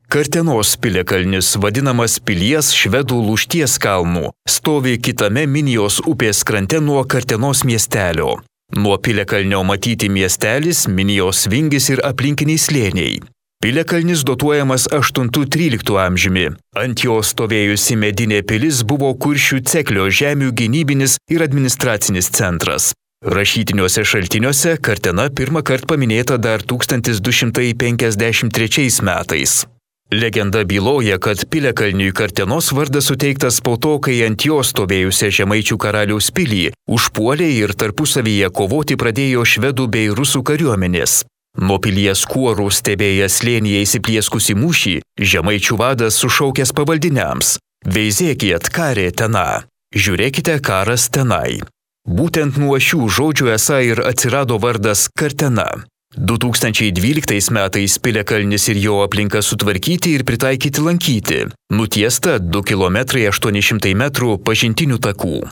Kartenos piliakalnis, vadinamas Pilies švedų lūšties kalnu, stovi kitame Minijos upės krante nuo Kartenos miestelio. Nuo piliakalnio matyti miestelis, Minijos vingis ir aplinkiniai slėniai. Piliakalnis datuojamas 8–13 amžiumi. Ant jo stovėjusi medinė pilis buvo Kuršių Ceklio žemių gynybinis ir administracinis centras. Rašytiniuose šaltiniuose Kartena pirmą kartą paminėta dar 1253 metais. Legenda byloja, kad piliakalniui Kartenos vardas suteiktas po to, kai ant jo stovėjusią žemaičių karaliaus pilį užpuolė ir tarpusavyje kovoti pradėjo švedų bei rusų kariuomenės. Nuo pilies kuorų stebėjęs slėnyje įsiplieskusi mūšį, žemaičių vadas sušaukęs pavaldiniams: "Veizėkit, karė tena, žiūrėkite, karas tenai." Būtent nuo šių žodžių esą ir atsirado vardas Kartena. 2012 metais piliakalnis ir jo aplinka sutvarkyti ir pritaikyti lankyti. Nutiesta 2 km 800 m pažintinių takų.